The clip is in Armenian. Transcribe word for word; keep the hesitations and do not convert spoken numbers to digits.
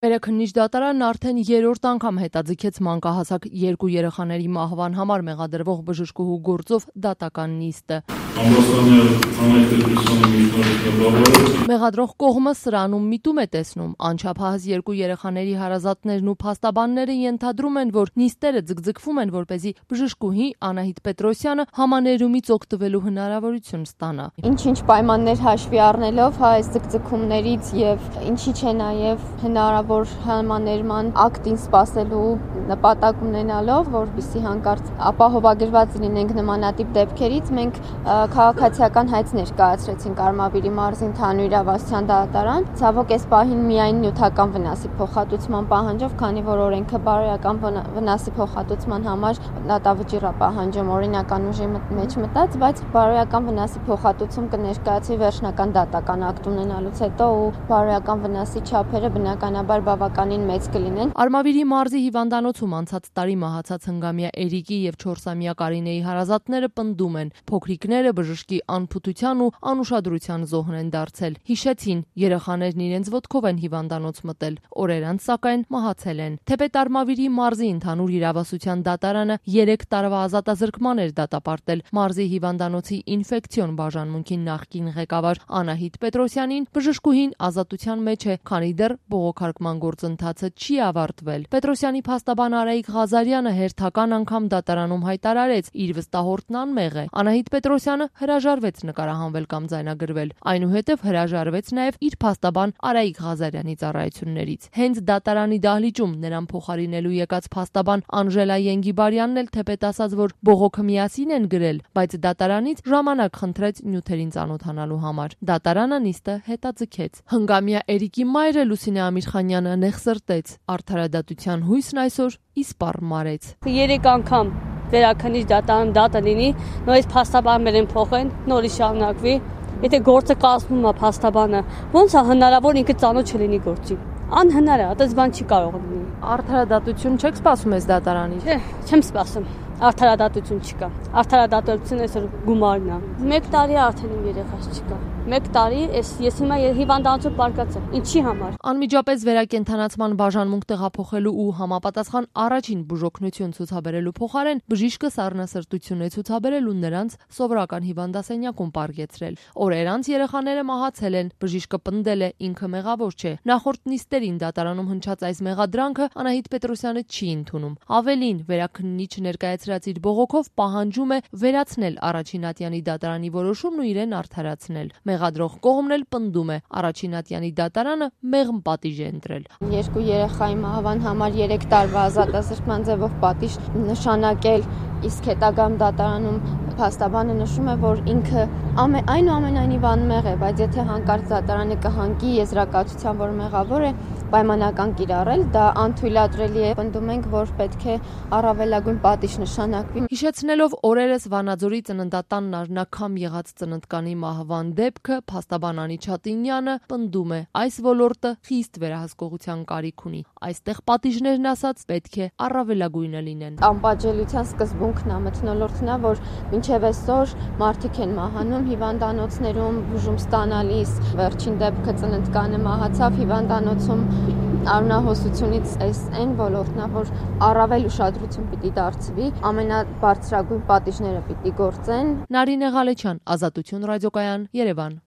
Վերաքննիչ դատարանն արդեն երրորդ անգամ հետաձգեց մանկահասակ երկու երեխաների մահվան համար մեղադրվող բժշկուհու գործով դատական նիստը։ Մեղադրող կողմը սրանում միտում է տեսնում, անչափահաս երկու երեխաների հարազատներն ու փաստաբանները ենթադրում են, որ նիստերը ձգձգվում են, որպեսզի բժշկուհի Անահիտ Պետրոսյանը համաներումից օգտվելու հնարավորություն ստանա։ Ինչ-ինչ պայմաններ հաշվի առնելով այս ձգձգումներից եւ ինչի՞ չէ նաեւ հնարավոր համաներման ակտին սպասելու նպատակ ունենալով, որպեսզի հանկարծ ապահովագրված լինենք նմանատիպ դեպքերից, մենք քաղաքացիական հայց ներկայացրեցինք Արմավիրի մարզի ընդհանուր իրավասության դատարան։ Ցավոք այս պահին միայն նյութական վնասի փոխհատուցման պահանջով, քանի որ օրենքը բարոյական վնասի փոխհատուցման համար դատավճիռ է պահանջում օրինական ուժի մեջ մտած, բայց բարոյական վնասի փոխհատուցում կներկայացվի վերջնական դատական ակտ ունենալուց հետո ու բարոյական վնասի չափերը բնականաբար բավականին մեծ կլինեն։ Արմավիրի մարզի հիվանդանոցում անցած տարի մահացած հնգամյա Էրիկի եւ չորսամյա Կարինեի հարազատները պնդում են, փոքրիկները բժշկի անփութության ու անուշադրության զոհն են դարձել։ Հիշեցին, երեխաներն իրենց ոտքով են հիվանդանոց մտել, օրեր անց սակայն մահացել են։ Թեպետ Արմավիրի մարզի ընդհանուր իրավասության դատարանը երեք տարվա ազատազրկման էր դատապարտել մարզի հիվանդանոցի ինֆեկցիոն բաժանմունքի նախկին ղեկավար Անահիտ Պետրոսյանին, բժշկուհին ազատության մեջ է, քանի դեռ բողոքարկման գործընթացը չի ավարտվել։ Պետրոսյանի փաստաբան Արայիկ Ղազարյանը հերթական անգամ դատարանում հայտարարեց, իր վստահորդն անմեղ է։ Անահիտ Պետրոսյանը հրաժարվեց նկարահանվել կամ ձայնագրվել, այնուհետև հրաժարվեց նաև իր փաստաբան Արայիկ Ղազարյանի ծառայություններից։ Հենց դատարանի դահլիճում նրան փոխարինելու եկած փաստաբան Անժելա Ենգիբարյանն էլ թեպետ ասաց, որ բողոքը միասին են գրել, բայց դատարանից ժամանակ խնդրեց նյութերին ծանոթանալու համար։ Դատարանը նիստը հետաձգեց։ Հնգամյա Էրիկի մայրը Լուսինե Ամիրխանյանը նեղսրտեց, արդարադատության հույսն այսօր իսպառ մարեց։ Երեք անգամ վերաքննիչ դատարան դատը լինի, նորից փաստաբաններն փոխեն, նորից շարունակվի։ Եթե գործը կազմում է փաստաբանը, ո՞նց է հնարավոր ինքը ծանոթ չլինի գործի։ Անհնար է, այդպես բան չի կարող լինի։ Արդարադատություն չեք սպասում այս դատարանից։ Չէ, չեմ սպասում։ Արդարադատություն չկա։ Արդարադատությունը այսօր գումարն է։ Մեկ տարի արդեն իմ երեխաս չկա։ Մեկ տարի ես ես հիմա հիվանդանոցում պարկած եմ։ Ինչի համար։ Անմիջապես վերակենդանացման բաժանմունք տեղափոխելու ու համապատասխան առաջին բուժօգնություն ցուցաբերելու փոխարեն բժիշկը սառնասրտություն է ցուցաբերել ու նրանց սովորական հիվանդասենյակում պարգեցրել։ Օրեր անց երեխաները մահացել են, բժիշկը պնդել է ինքը մեղավոր չէ։ Նախորդ նիստերին դատարանում հնչած այս մեղադրանքը Անահիտ Պետրոսյանը չի ընդունում։ Ավելին, վերաքննիչը ներկայացրած իր բողոքով պահանջում է վերացնել առաջին ատյանի դատարանի որոշումն ու իրեն արդարացնել։ Մեղադրող կողմն էլ պնդում է, առաջին ատյանի դատարանը մեղմ պատիժ է ընտրել։ Երկու երեխայի մահվան համար երեք տարվա ազատազրկման ձևով պատիժ նշանակել, իսկ հետագայում դատարանում փաստաբանը նշում է, որ ինքը այնուամենայնիվ անմեղ է, բայց եթե հանկարծ դատարանը կհանգի եզրակացության, որ մեղավոր է, պայմանական կիրառել, դա անթույլատրելի է։ Պնդում ենք, որ պետք է առավելագույն պատիժ նշանակվի։ Հիշեցնելով օրերս Վանաձորի ծննդատանն առնաքամ եղած ծննդկանի մահվան դեպքը, փաստաբան Անի Չատինյանը պնդում է, այս ոլորտը խիստ վերահսկողության կարիք ունի։ Այստեղ պատիժներն ասած պետք է առավելագույնը լինեն։ Անպատժելիության սկզբունքն է, մթնոլորտն է, որ մինչև այսօր մարդիկ են մահանում հիվանդանոցներում, բուժում ստանալիս, վերջին դեպքը ծննդկանը մահացավ հիվանդանոցում, արունահոսությունից այս այն ոլորտն է, որ առավել ուշադրություն պիտի դարձվի, ամենաբարձրագույն պատիժները պիտի գործեն։ Նարինե Ղալեչյան, Ազատություն ռադիոկայան, Երևան։